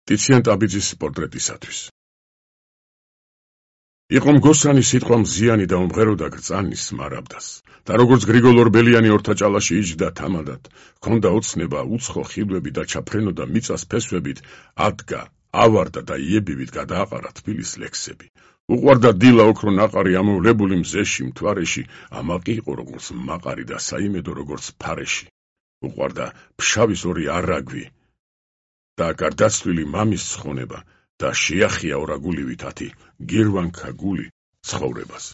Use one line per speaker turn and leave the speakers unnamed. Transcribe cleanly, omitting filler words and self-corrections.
ტიციან ტაბიძის პორტრეტისათვის. იყო მგოსანი სიტყვა მზიანი და უმღეროდა გრწანის მარაბდას და როგორც გრიგოლ ორბელიანი ორთაჭალაში იჯდა თამადად, ჰქონდა ოცნება უცხო ხილვები და ჩაფრენოდა მიწას ფესვებით, ადგა, ავარდა და იებივით გადააყარა თბილის ლექსები. უყვარდა დილა ოქრო ნაყარი ამოვლებული მზეში მთვარეში, ამაყი იყო როგორც მაყარი და საიმედო როგორც ფარეში. უყვარდა ფშავის ორი არაგვი და გარდაცვლილი მამის ცხონება და შეახია ორაგულივით ათი გირვანქა გული ცხოვრებას.